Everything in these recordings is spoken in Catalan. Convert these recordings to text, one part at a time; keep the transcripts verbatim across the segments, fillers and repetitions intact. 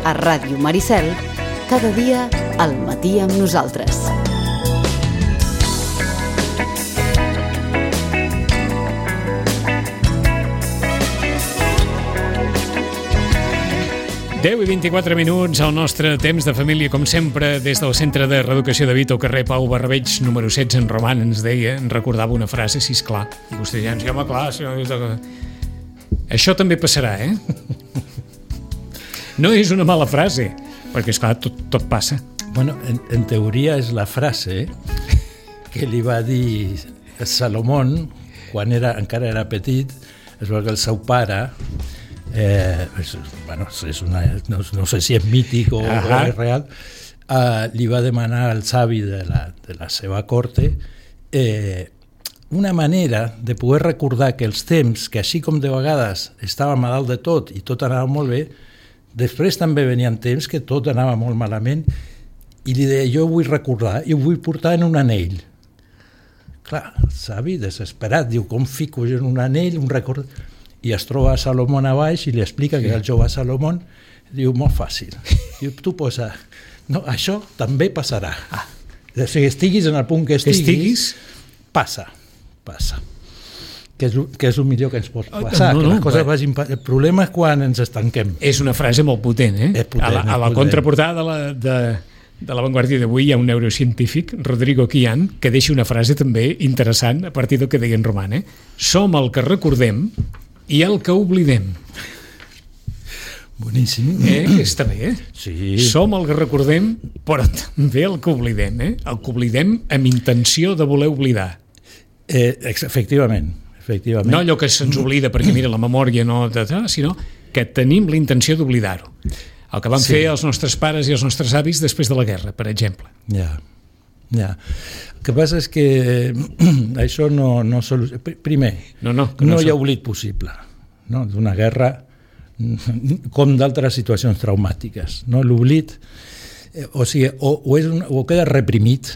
a Ràdio Maricel, cada dia al matí amb nosaltres. deu i vint-i-quatre minuts al nostre temps de família, com sempre, des del Centre de Reeducació de Vito, carrer Pau Barrabeig, número setze, en Roman, ens deia, ens recordava una frase, si és clar. I vostè ja ens diu, home, clar, si no... Això també passarà, eh? No és una mala frase, perquè, esclar, tot, tot passa. Bueno, en, en teoria és la frase que li va dir Salomón quan era, encara era petit. Es veu que el seu pare... Eh, és, bueno, és una, no, no sé si és mític o, o és real, eh, li va demanar al savi de la, de la seva corte eh, una manera de poder recordar que els temps, que així com de vegades estàvem a dalt de tot i tot anava molt bé, després també venien temps que tot anava molt malament, i li deia, jo ho vull recordar i ho vull portar en un anell. Clar, el savi desesperat diu, com fico jo en un anell un record... i es troba a Salomón a baix i li explica que el jove Salomón diu, molt fàcil, diu, tu posa no, això també passarà, ah. O sigui, estiguis en el punt que estiguis, estiguis? passa, passa que és, que és el millor que ens pot passar, no, no, que les coses vagin... El problema és quan ens estanquem. És una frase molt potent, eh? Potent, a la, a la contraportada de la, de, de la Vanguardia d'avui hi ha un neurocientífic, Rodrigo Quian, que deixa una frase també interessant a partir del que deia en Roman, eh? Som el que recordem i el que oblidem. Boníssim. Eh? Que està bé, eh? Sí. Som el que recordem, però també el que oblidem, eh? El que oblidem amb intenció de voler oblidar. Eh, efectivament, efectivament. No allò que se'ns oblida perquè, mira, la memòria no... sinó que tenim la intenció d'oblidar-ho. El que van sí. fer els nostres pares i els nostres avis després de la guerra, per exemple. Ja, ja. El que passa és que això no... no solu... Primer, no, no, no, no hi ha oblit possible, no? D'una guerra com d'altres situacions traumàtiques. No? L'oblit eh, o, sigui, o, o, és un, o queda reprimit,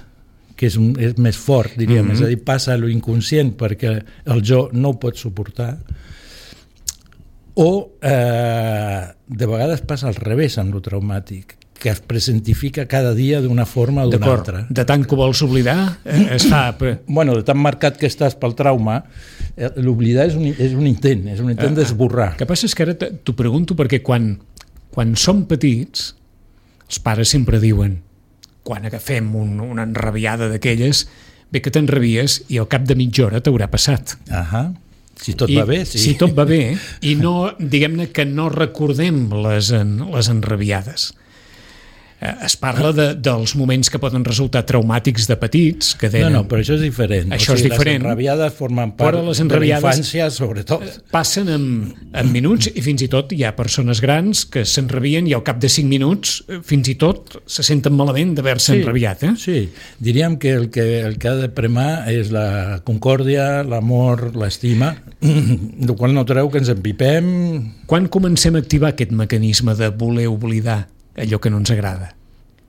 que és, un, és més fort, diríem, mm-hmm. és a dir, passa a lo inconscient perquè el jo no ho pot suportar, o eh, de vegades passa al revés amb lo traumàtic, que es presentifica cada dia d'una forma o d'una altra. De tant que vols oblidar, eh, es fa... Bueno, de tan marcat que estàs pel trauma, eh, l'oblidar és un, és un intent, és un intent ah, d'esborrar. El que passa és que ara t'ho pregunto perquè quan, quan som petits, els pares sempre diuen, quan agafem un, una enrabiada d'aquelles, bé que t'enrabies i al cap de mitja hora t'haurà passat. Ahà. Si tot I, va bé, sí. Si tot va bé, i no, diguem-ne que no recordem les, en, les enrabiades. Es parla de, dels moments que poden resultar traumàtics de petits, que tenen... No, no, però això és diferent. Això o sigui, és diferent. Les enrabiades formen part les enrabiades de la infància, sobretot. Passen en, en minuts i fins i tot hi ha persones grans que s'enrabien i al cap de cinc minuts fins i tot se senten malament d'haver-se sí, enrabiat. Eh? Sí, diríem que el, que el que ha de premar és la concòrdia, l'amor, l'estima, del qual no treu que ens empipem... Quan comencem a activar aquest mecanisme de voler oblidar allò que no ens agrada?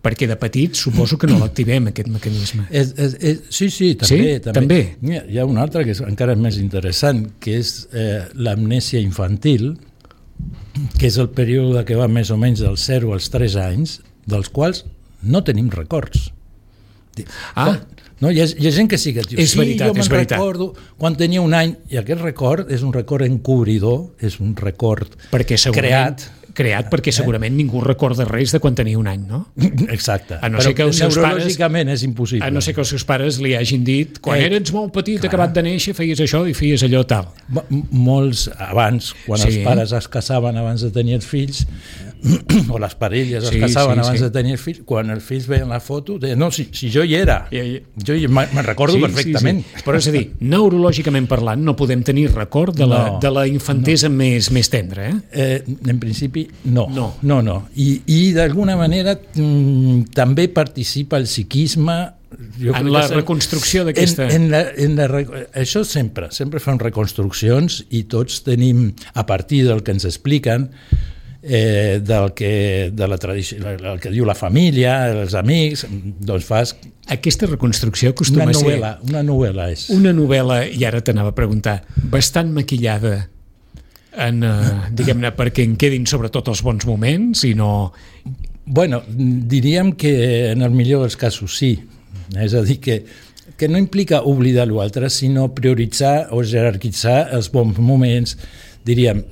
Perquè de petits suposo que no l'activem, aquest mecanisme. És, és, és, sí, sí, també. Sí? també. també. Hi ha un altre que és encara més interessant, que és eh, l'amnèsia infantil, que és el període que va més o menys dels zero als tres anys, dels quals no tenim records. Ah, no, hi, ha, hi ha gent que sí que diu, és sí, veritat, jo me'n és veritat. recordo quan tenia un any, i aquest record és un record encobridor, és un record perquè creat, creat perquè segurament eh? ningú recorda res de quan tenia un any, no? Exacte, a no però ser que els seus neurològicament pares, és impossible. A no ser que els seus pares li hagin dit quan eh, eres molt petit, clar, acabat de néixer, feies això i feies allò tal. M- molts abans, quan sí. els pares es casaven abans de tenir els fills, o les parelles es sí, casaven sí, abans sí. de tenir els fills, quan els fills veien la foto, deien, no, si, si jo hi era, ja, ja. jo hi, me'n recordo sí, perfectament. Sí, sí. Però és a dir, neurològicament parlant, no podem tenir record de la, no, de la infantesa no. més, més tendra, eh? eh? En principi, no. No, no, no. I, i d'alguna manera mm, també participa el psiquisme jo en la reconstrucció d'aquesta... En, en la, en la, això sempre, sempre fan reconstruccions i tots tenim, a partir del que ens expliquen, eh, del que, de la tradició, el que diu la família, els amics, doncs fas... Aquesta reconstrucció acostuma una novel·la, a ser... Una novel·la és. Una novel·la, i ara t'anava a preguntar, bastant maquillada en, eh, diguem-ne, perquè en quedin sobretot els bons moments i no... Bueno, diríem que en el millor dels casos sí. És a dir, que, que no implica oblidar l'altre, sinó prioritzar o jerarquitzar els bons moments. Diríem,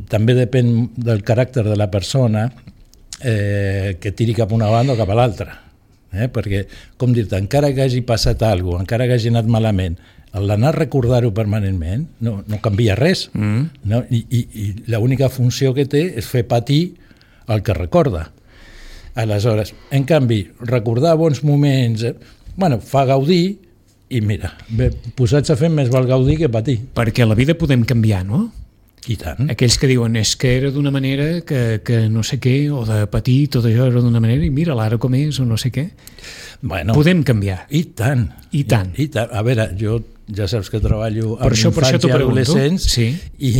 també depèn del caràcter de la persona eh, que tiri cap a una banda o cap a l'altra. Eh? Perquè, com dir-te, encara que hagi passat alguna cosa, encara que hagi anat malament, l'anar a recordar-ho permanentment no, no canvia res. Mm. No? I, i, i l'única funció que té és fer patir el que recorda. Aleshores, en canvi, recordar bons moments, eh, bueno, fa gaudir i mira, bé, posats a fer més val gaudir que patir. Perquè la vida podem canviar, no? I tant. Aquells que diuen és que era d'una manera que, que no sé què, o de patir, tot això era d'una manera, i mira l'ara com és, o no sé què. Bueno, podem canviar. I tant. I tant. I, i tant. A veure, jo ja saps que treballo amb això, infants i adolescents, sí. i,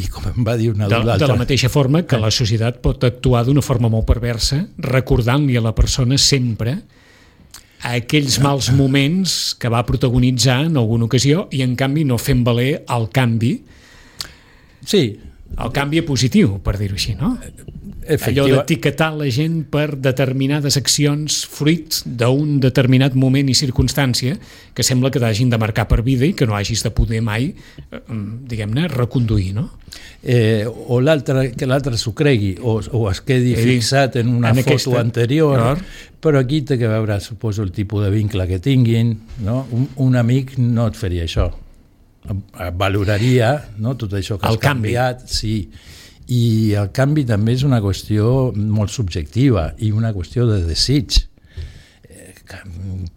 i com em va dir una de, de la mateixa forma que la societat pot actuar d'una forma molt perversa, recordant-li a la persona sempre a aquells mals moments que va protagonitzar en alguna ocasió i en canvi no fent valer el canvi, sí, el canvi positiu, per dir-ho així, no? Allò d'etiquetar la gent per determinades accions fruit d'un determinat moment i circumstància que sembla que t'hagin de marcar per vida i que no hagis de poder mai, diguem-ne, reconduir, no? Eh, o l'altre, que l'altre s'ho cregui o, o es quedi He fixat en una en foto aquesta, anterior, clar. Però aquí té que veure, suposo, el tipus de vincle que tinguin, no? Un, un amic no et faria això. Valoraria, no? Tot això que el has canviat, canvi. Sí. I el canvi també és una qüestió molt subjectiva i una qüestió de desig.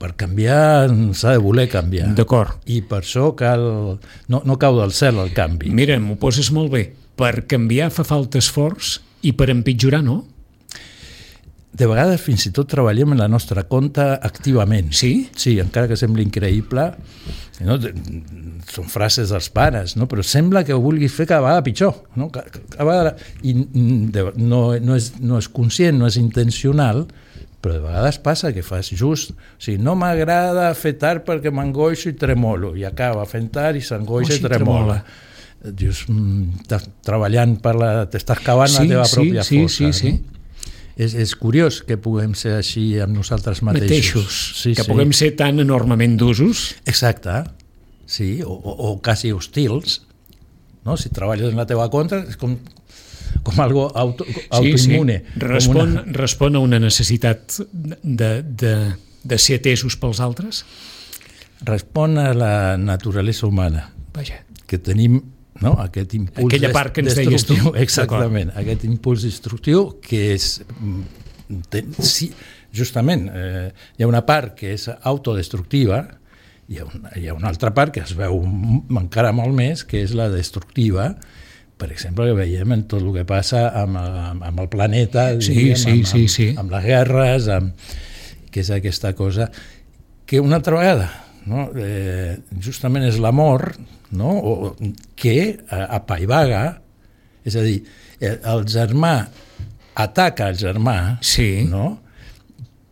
Per canviar s'ha de voler canviar. D'acord. I per això cal... No, no cau del cel el canvi. Mira, m'ho poses molt bé. Per canviar fa falta esforç i per empitjorar no? De vegades fins i tot treballem en la nostra compte activament. Sí? Sí, encara que sembli increïble, no? Són frases dels pares, no? Però sembla que ho vulguis fer cada vegada pitjor. No? Cada vegada... I no, no, és, no és conscient, no és intencional, però de vegades passa que fas just... O sigui, no m'agrada fer tard perquè m'angoixo i tremolo, i acaba fent tard i s'angoixa oh, sí, i tremola. tremola. Dius, estàs treballant per la... t'estàs cavant sí, la teva sí, pròpia sí, força. Sí, sí, no? sí. És, és curiós que puguem ser així amb nosaltres mateixos. Mateixos, sí, que sí. puguem ser tan enormement d'usos. Exacte, sí, o, o, o quasi hostils. No? Si treballes en la teva contra és com, com algo auto, autoimmune. Sí, sí. Respon, una... respon a una necessitat de, de, de ser atesos pels altres? Respon a la naturalesa humana. Vaja. Que tenim... No? Aquest impuls aquella part que ens deies tu. Exactament, aquest impuls destructiu que és ten, sí, justament eh, hi ha una part que és autodestructiva i hi ha, una, hi ha una altra part que es veu encara molt més, que és la destructiva, per exemple, que veiem en tot el que passa amb, amb, amb el planeta, sí, diguem, sí, amb, sí, amb, sí. amb les guerres, amb, que és aquesta cosa que una altra vegada, no? eh, justament és l'amor, no? O, que apaivaga, és a dir, el germà ataca el germà, sí. no?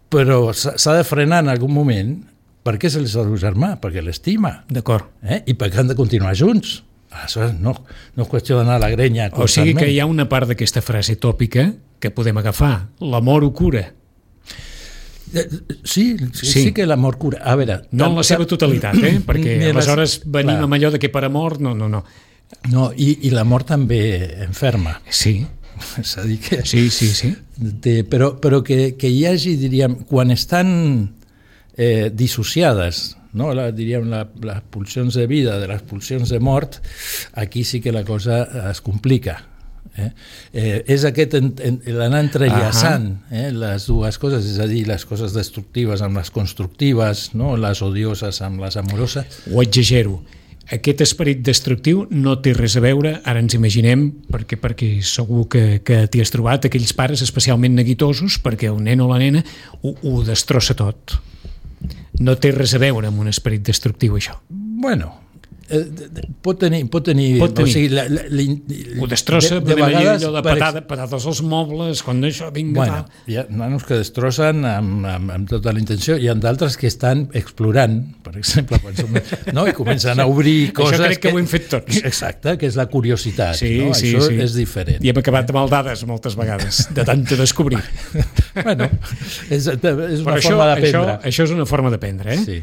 Però s'ha de frenar en algun moment perquè és el seu germà, perquè l'estima. D'acord. Eh? I perquè han de continuar junts. Aleshores, no, no és qüestió d'anar a la grenya constantment. O sigui que hi ha una part d'aquesta frase tòpica que podem agafar. L'amor ho cura. Sí, sí, sí que l'amor cura. A veure, no en la seva totalitat, eh? Perquè aleshores venim clar. Amb allò de que per amor, no, no, no. No, i, i l'amor també enferma. Sí. És a dir que... Sí, sí, sí. De, però però que, que hi hagi, diríem, quan estan eh, dissociades, no? la, diríem, la, les pulsions de vida de les pulsions de mort, aquí sí que la cosa es complica. Eh? Eh, és aquest en, en, l'anar entrellaçant eh, les dues coses, és a dir, les coses destructives amb les constructives, no? Les odioses amb les amoroses. Ho exagero. Aquest esperit destructiu no té res a veure, ara ens imaginem, perquè, perquè segur que, que t'hi has trobat, aquells pares especialment neguitosos, perquè el nen o la nena ho, ho destrossa tot. No té res a veure amb un esperit destructiu, això. Bueno, Eh, pot tenir, pot tenir, pot tenir. O sigui, la, la, la, ho destrossa, de, de vegades, allò de patada, patades als mobles, quan això vinga... Bueno, hi ha nanos que destrossen amb, amb, amb tota la intenció, hi ha d'altres que estan explorant, per exemple, quan som, no? I comencen a obrir coses... Això crec que, que ho hem fet tots. Exacte, que és la curiositat, sí, no? Sí, això sí. és diferent. I hem acabat amb maldades moltes vegades, de tant de descobrir. Bueno, és, és una això, forma d'aprendre. Això, això és una forma d'aprendre, eh? Sí.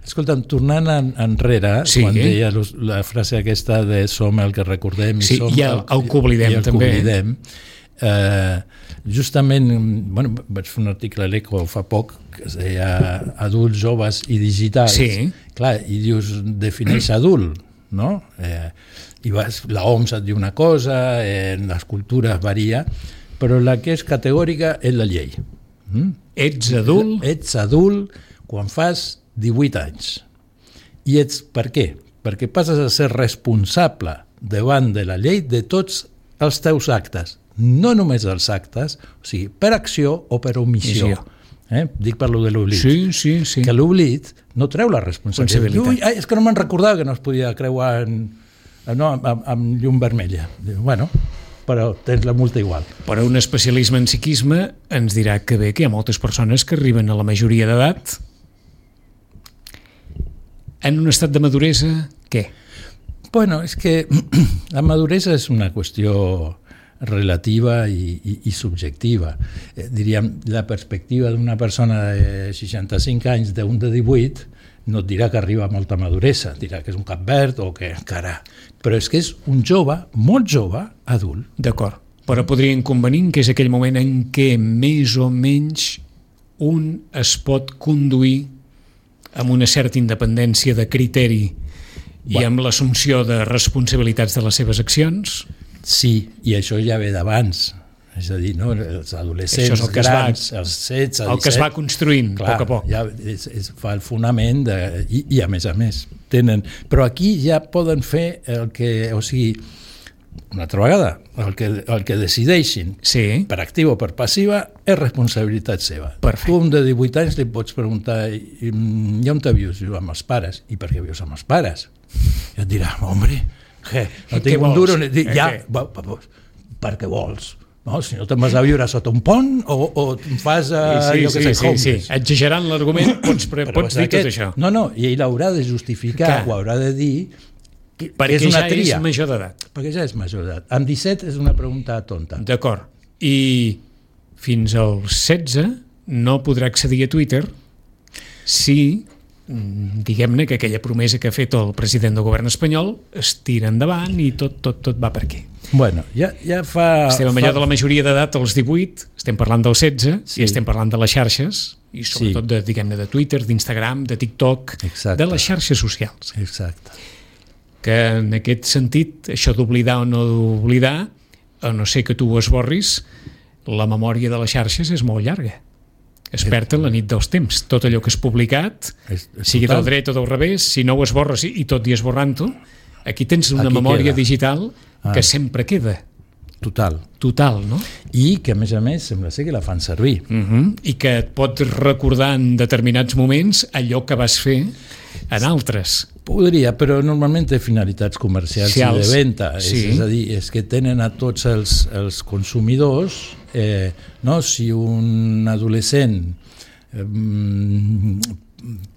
Escolta'm, tornant en, enrere, sí, quan deia la frase aquesta de som el que recordem i sí, som i el, el que oblidem, i el també. Que oblidem, eh, justament, bueno, vaig fer un article a l'Eco fa poc que es deia adults, joves i digitals. Sí. Clar, i dius, defineix adult, no? Eh, i vas, la O M S et diu una cosa, eh, les cultures varia, però la que és categòrica és la llei. Mm? Ets adult? Ets adult quan fas divuit anys. I ets per què? Perquè passes a ser responsable davant de la llei de tots els teus actes, no només els actes, o sigui, per acció o per omissió. Eh? Dic per lo de l'oblit. Sí, sí, sí. Que l'oblit no treu la responsabilitat. Ui, ai, és que no me'n recordava que no es podia creuar en, no, amb, amb llum vermella. Diu, bueno, però tens la multa igual. Però un especialisme en psiquisme ens dirà que bé, que hi ha moltes persones que arriben a la majoria d'edat en un estat de maduresa, què? Bueno, és que la maduresa és una qüestió relativa i, i, i subjectiva. Eh, diríem, la perspectiva d'una persona de seixanta-cinc anys d'un de divuit no et dirà que arriba a molta maduresa, dirà que és un cap verd o que encara... Però és que és un jove, molt jove, adult. D'acord, però podríem convenir que és aquell moment en què més o menys un es pot conduir amb una certa independència de criteri i amb l'assumpció de responsabilitats de les seves accions? Sí, i això ja ve d'abans. És a dir, no? Els adolescents el grans, va, els setze, disset... El que es va construint, clar, a poc a poc. Ja es, es fa el fonament de, i, i a més a més tenen... Però aquí ja poden fer el que... O sigui, una altra vegada, el que, el que decideixin, sí, per activa o per passiva, és responsabilitat seva. Perfecte. Tu, un de divuit anys, li pots preguntar i, i on te vius? Diu, amb els pares. I per què vius amb els pares? I et dirà, hombre, què? No tinc un duro... Dic, ja, va, va, va, per què vols? No, si no te'n vas a viure sota un pont o, o fas uh, sí, allò que sí, sé, sí, sí. Exagerant l'argument, pots, pre, pots dir aquest, tot això. No, no, i ell haurà de justificar, o haurà de dir que, perquè que és una ja tria. és major d'edat. Perquè ja és major d'edat. Amb disset és una pregunta tonta. D'acord. I fins als setze no podrà accedir a Twitter si, diguem-ne, que aquella promesa que ha fet el president del govern espanyol es tira endavant i tot, tot, tot va per aquí. Bueno, ja, ja fa... Estem fa... allò de la majoria d'edat als divuit, estem parlant dels setze, sí, i estem parlant de les xarxes, i sobretot sí, de, diguem-ne, de Twitter, d'Instagram, de TikTok, exacte, de les xarxes socials. Exacte. Que en aquest sentit, això d'oblidar o no d'oblidar, a no ser que tu ho esborris, la memòria de les xarxes és molt llarga. Es perd en la nit dels temps. Tot allò que és publicat, és, és sigui total, del dret o del revés, si no ho esborres i tot i esborrant-ho, aquí tens una aquí memòria queda. Digital que ah. sempre queda. Total. Total, no? I que, a més a més, sembla ser que la fan servir. Uh-huh. I que et pot recordar en determinats moments allò que vas fer en altres. Podria, però normalment té finalitats comercials Cials. I de venda. Sí. És, és a dir, és que tenen a tots els, els consumidors, eh, no? Si un adolescent eh,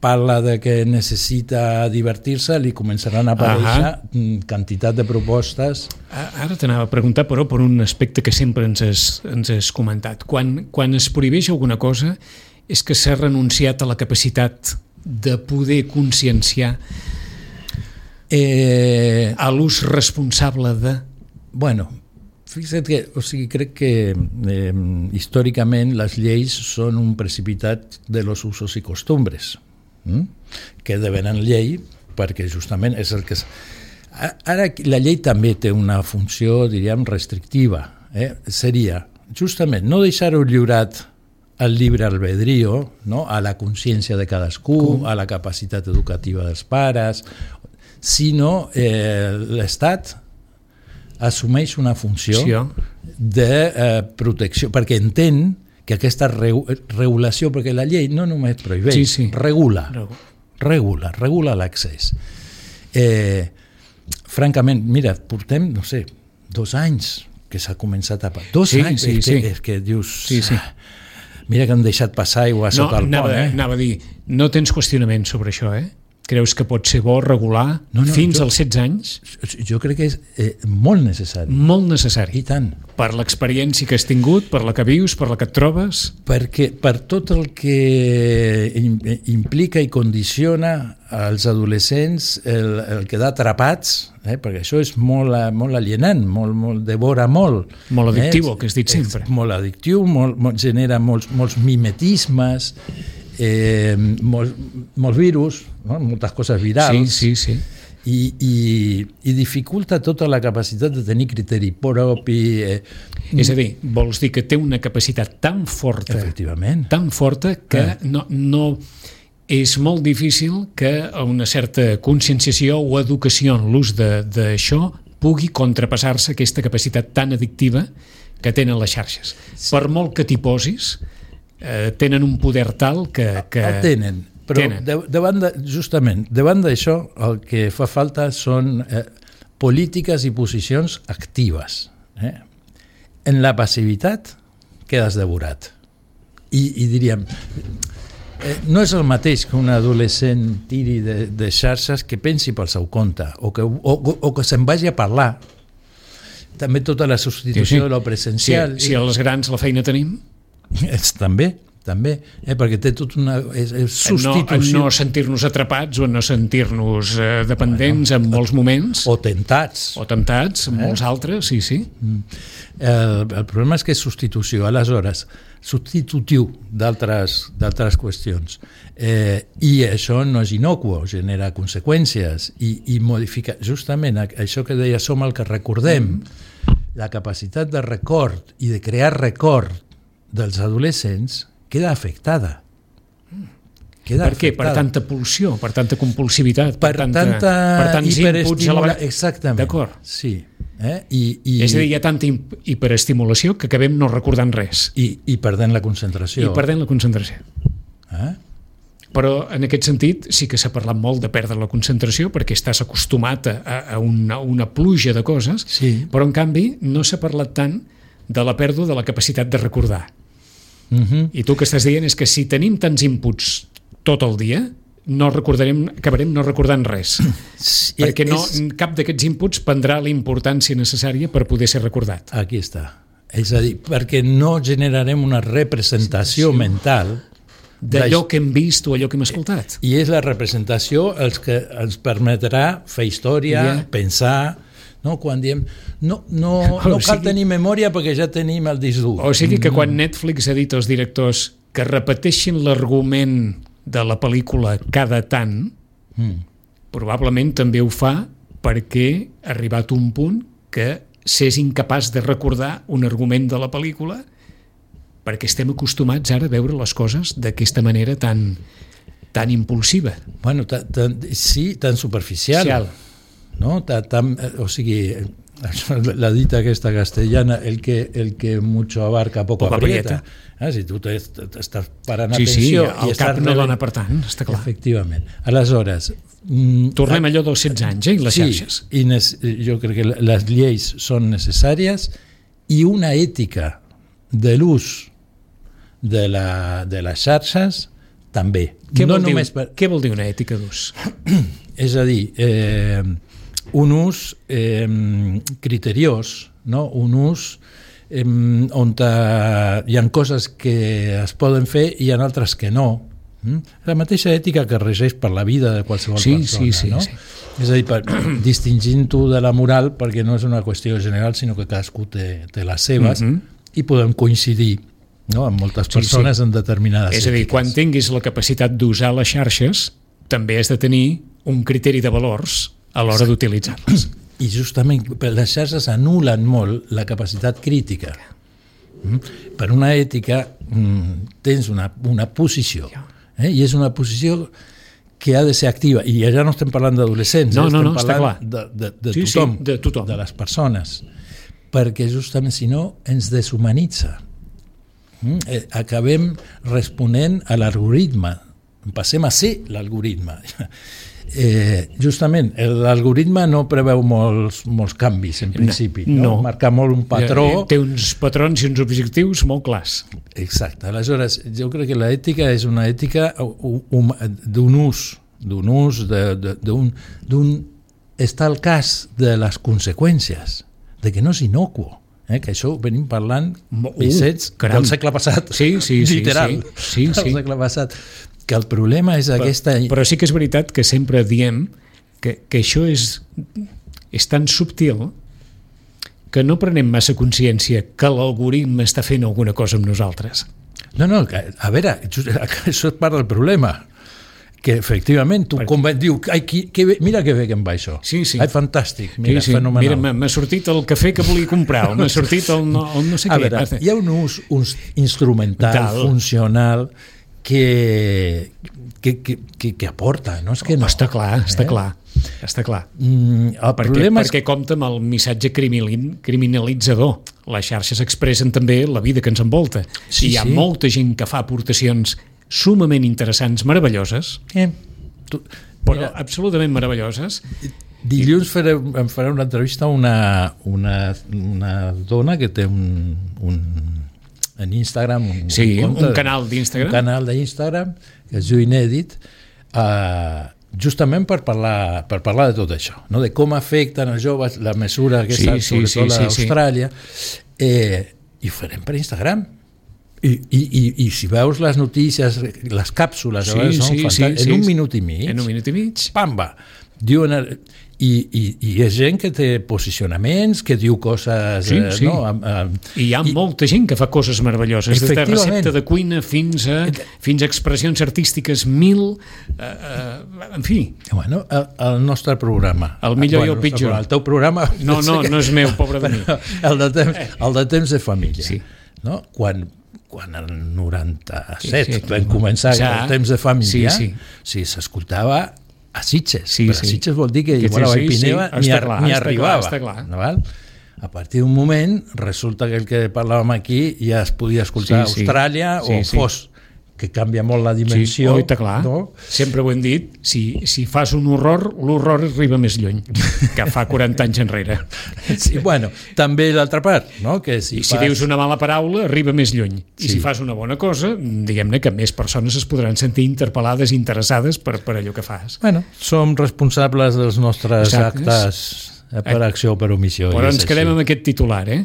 parla de que necessita divertir-se, li començaran a aparèixer uh-huh. quantitat de propostes. Ara t'anava a preguntar, però, per un aspecte que sempre ens has, ens has comentat. Quan, quan es prohibeix alguna cosa és que s'ha renunciat a la capacitat de poder conscienciar eh, a l'ús responsable de... Bueno, fixa't que, o sigui, crec que eh, històricament les lleis són un precipitat de los usos i costumbres, hm? que devenen llei perquè justament és el que... És... Ara la llei també té una funció, diríem, restrictiva. Eh? Seria justament no deixar-ho lliurat al llibre albedrío, no? A la consciència de cadascú, Com? A la capacitat educativa dels pares, sinó eh, l'Estat assumeix una funció sí. de eh, protecció, perquè entén que aquesta re regulació, perquè la llei no només prohibeix, sí, sí. regula, regula, regula l'accés. Eh, francament, mira, portem, no sé, dos anys que s'ha començat a... Dos sí, anys, sí, és, sí. Que, és que dius... Sí, sí. Mira que han deixat passar aigua No, sota el anava, pont, eh? anava a dir, no tens qüestionament sobre això, eh? Creus que pot ser bo regular No, no, fins jo- als setze anys? Jo crec que és eh, molt necessari. Molt necessari. I tant. Per l'experiència que has tingut, per la que vius, per la que et trobes... Perquè per tot el que im- implica i condiciona als adolescents el, el quedar atrapats, eh? perquè això és molt, molt alienant, molt, molt, devora molt. Molt addictiu, eh? el que has dit sempre. És molt addictiu, molt, molt, genera molts, molts mimetismes, eh, molts, molts virus, no? Moltes coses virals. Sí, sí, sí. I, i, i dificulta tota la capacitat de tenir criteri propi. Eh, És a dir, vols dir que té una capacitat tan forta, efectivament. tan forta que Ah. no, no és molt difícil que una certa conscienciació o educació en l'ús de- d'això pugui contrapassar-se aquesta capacitat tan addictiva que tenen les xarxes. Sí. Per molt que t'hi posis, eh, tenen un poder tal que... que El tenen, però tenen. de, davant de, justament, davant d'això el que fa falta són eh, polítiques i posicions actives. Eh? En la passivitat quedes devorat. I, i diríem, eh, no és el mateix que un adolescent tiri de, de xarxes que pensi pel seu compte o que, o, o, o que se'n vagi a parlar. També tota la substitució Sí, sí. de lo presencial. Si, si els grans la feina tenim, És, també, també, eh, perquè té tot una... És, és en no, substitució. en no sentir-nos atrapats o en no sentir-nos eh, dependents en molts moments, O tentats. o temptats en Eh? molts altres, sí, sí. El, el problema és que és substitució, aleshores, substitutiu d'altres d'altres qüestions. Eh, I això no és inocuo, genera conseqüències i, i modifica... Justament això que deia, som el que recordem, la capacitat de record i de crear record dels adolescents queda afectada. Queda Per què? Per afectada. tanta pulsió, per tanta compulsivitat, per, per tanta, tanta per tants inputs a la hiperestimula... vegada. Exactament. D'acord. Sí. Eh? I, i, És a dir, hi ha tanta hi- hiperestimulació que acabem no recordant res i, i perdent la concentració. i perdent la concentració. Eh? Però en aquest sentit sí que s'ha parlat molt de perdre la concentració perquè estàs acostumat a, a, una, a una pluja de coses, Sí. però en canvi no s'ha parlat tant de la pèrdua de la capacitat de recordar. Uh-huh. I tu que estàs dient és que si tenim tants inputs tot el dia, no recordarem, acabarem no recordant res. Sí, perquè no, és- cap d'aquests inputs prendrà la importància necessària per poder ser recordat. Aquí està. És a dir, perquè no generarem una representació mental D'allò que hem vist o allò que hem escoltat. i és la representació els que ens permetrà fer història, Ja. pensar, no? Quan diem no, no, O no cal sigui- tenir memòria perquè ja tenim el disc dur. O sigui que quan Netflix ha dit als directors que repeteixin l'argument de la pel·lícula cada tant, Mm. probablement també ho fa perquè ha arribat un punt que s'és incapaç de recordar un argument de la pel·lícula perquè estem acostumats ara a veure les coses d'aquesta manera tan, tan impulsiva. Bueno, ta, ta, sí, tan superficial. Social. No? Ta, tan, o sigui, això, la dita aquesta castellana, el que, el que mucho abarca poco, Poco aprieta. aprieta. Ah, si tu t'estàs parant Sí, sí, atenció el i cap estàs no rebent- dona per tant, està clar. Efectivament. Aleshores... mm, Tornem a allò dels setze anys, eh, i les sí, xarxes. i nes, jo crec que les lleis són necessàries i una ètica de l'ús de, la, de les xarxes també. Què, no vol dir, només per, què vol dir una ètica d'ús? és a dir, eh, un ús eh, criteriós, no? Un ús eh, on hi ha coses que es poden fer i hi ha altres que no. Mm? La mateixa ètica que regeix per la vida de qualsevol Sí, persona. sí, sí, no? sí. És a dir, per, distingint-ho de la moral perquè no és una qüestió general, sinó que cadascú té, té les seves Mhm. i podem coincidir, no? Amb moltes Sí, persones sí. en determinades És a dir, ètiques. quan tinguis la capacitat d'usar les xarxes, també has de tenir un criteri de valors a l'hora d'utilitzar-les. I justament per les xarxes anulen molt la capacitat crítica. Mm? Per una ètica mm, tens una, una posició, eh? I és una posició que ha de ser activa, i ja no estem parlant d'adolescents, No, eh? no, estem no, està parlant clar. de, de, de, Sí, sí, tothom, de tothom. de les persones, perquè justament si no ens deshumanitza. Mm? Eh, acabem responent a l'algoritme, passem a ser l'algoritme. Eh, justament, l'algoritme no preveu molts, molts canvis, en principi. No, no. Marca molt un patró. Té uns patrons i uns objectius molt clars. Exacte. Aleshores, jo crec que l'ètica és una ètica d'un ús, d'un ús, d'un estar al cas de les conseqüències, de que no és innocuo. Eh, que això ho venim parlant uh, Vicets, del segle passat, sí, sí, literal, sí, sí, sí. del segle passat, que el problema és però, aquesta... Però sí que és veritat que sempre diem que, que això és, és tan subtil que no prenem massa consciència que l'algoritme està fent alguna cosa amb nosaltres. No, no, que, a veure, això és part del problema, que efectivament tu com diu, ai, que, que, mira que bé que em va això, sí, sí. ai, fantàstic, mira, sí, sí. fenomenal. Mira, m'ha sortit el cafè que volia comprar, m'ha sortit el no, el no sé a què. Veure, hi ha un ús un instrumental, Tal. funcional, que, que, que, que, que aporta, no és que no. Està clar, està eh? clar. Està clar. Mm, el perquè, problema perquè és... compta amb el missatge criminalitzador. Les xarxes expressen també la vida que ens envolta. Sí, I hi ha sí. molta gent que fa aportacions sumament interessants, meravelloses, eh, tu, però mira, absolutament meravelloses. Dilluns faré, em faré una entrevista a una, una, una dona que té un, un en Instagram un, sí, un, compte, un canal d'Instagram un canal d'Instagram que es diu Inèdit, uh, justament per parlar, per parlar de tot això, no? De com afecten els joves la mesura que està, sí, sí, sobretot sí, a sí, Austràlia, sí. eh, i ho farem per Instagram. I, i, i, i si veus les notícies, les càpsules, sí, són sí, fantàstiques, sí, en sí, un minut i mig, en un minut i mig, pamba, diuen, i, i, i és gent que té posicionaments, que diu coses... Sí, sí. No, amb, amb, I hi ha i, molta gent que fa coses meravelloses, des de recepta de cuina fins a, fins a expressions artístiques mil, eh, eh, en fi. Bueno, el, el nostre programa. El millor bueno, i el pitjor. Programa, el teu programa... No, no, no és meu, pobre de mi. El de temps, el de, temps de família. Sí. No? Quan... quan el noranta-set sí, sí, vam començar ja, el temps de família, sí, sí. s'escoltava a Sitges, sí, però sí. a Sitges vol dir que, que igual a Vallpineva sí, sí. ni, clar, ni arribava. Clar, clar. No, val? A partir d'un moment resulta que el que parlàvem aquí ja es podia escoltar sí, sí. a Austràlia sí, o sí. fos, que canvia molt la dimensió. Sí, oita, clar. No? Sempre ho hem dit, si, si fas un horror, l'horror arriba més lluny que fa quaranta anys enrere. Sí, bueno, també l'altra part, no? Que si I si fas... dius una mala paraula, arriba més lluny. I sí. si fas una bona cosa, diguem-ne que més persones es podran sentir interpel·lades, interessades per, per allò que fas. Bueno, som responsables dels nostres Exacte. actes per acció o per omissió. Però ens quedem amb aquest titular, eh?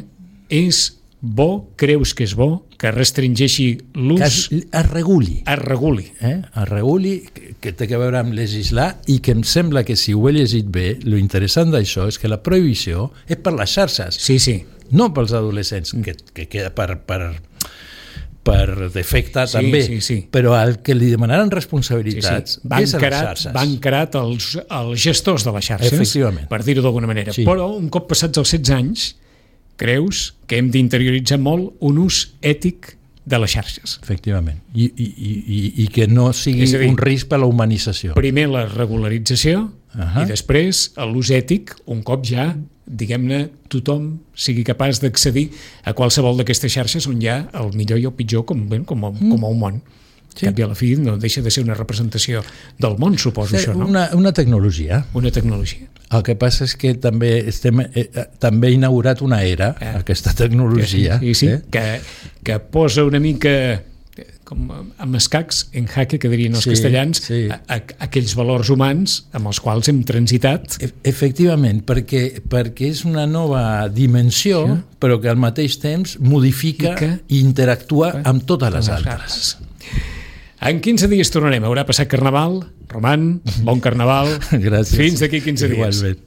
És bo, creus que és bo, que restringeixi l'ús... Que es, es reguli. Es reguli. Eh? Es reguli, que, que té a veure amb legislar, i que em sembla que si ho he llegit bé, lo interessant d'això és que la prohibició és per les xarxes, sí, sí. no pels adolescents, que, que queda per, per, per defecte sí, també, sí, sí. però el que li demanaran responsabilitats sí, sí. és a les xarxes. Van carat els, els gestors de les xarxes, per dir-ho d'alguna manera. Sí. Però un cop passats els setze anys, creus que hem d'interioritzar molt un ús ètic de les xarxes. Efectivament. I, i, i, i que no sigui dir, un risc per a la humanització. Primer la regularització uh-huh. i després l'ús ètic, un cop ja, diguem-ne, tothom sigui capaç d'accedir a qualsevol d'aquestes xarxes on hi ha el millor i el pitjor com, com, com, mm. com a un món. Sí. Cap i a la fi no deixa de ser una representació del món, suposo, sí, això, no? Una, una tecnologia. Una tecnologia. El que passa és que també estem eh, també ha inaugurat una era, eh. aquesta tecnologia. Sí, sí, eh? que, que posa una mica com amb escacs, en jaque, que dirien els sí, castellans, sí. A, a, aquells valors humans amb els quals hem transitat. E- efectivament, perquè, perquè és una nova dimensió, sí. però que al mateix temps modifica i, que... i interactua amb totes les altres. En quinze dies tornarem. Haurà passat Carnaval. Roman, bon Carnaval. Gràcies. Fins d'aquí quinze dies. Igualment.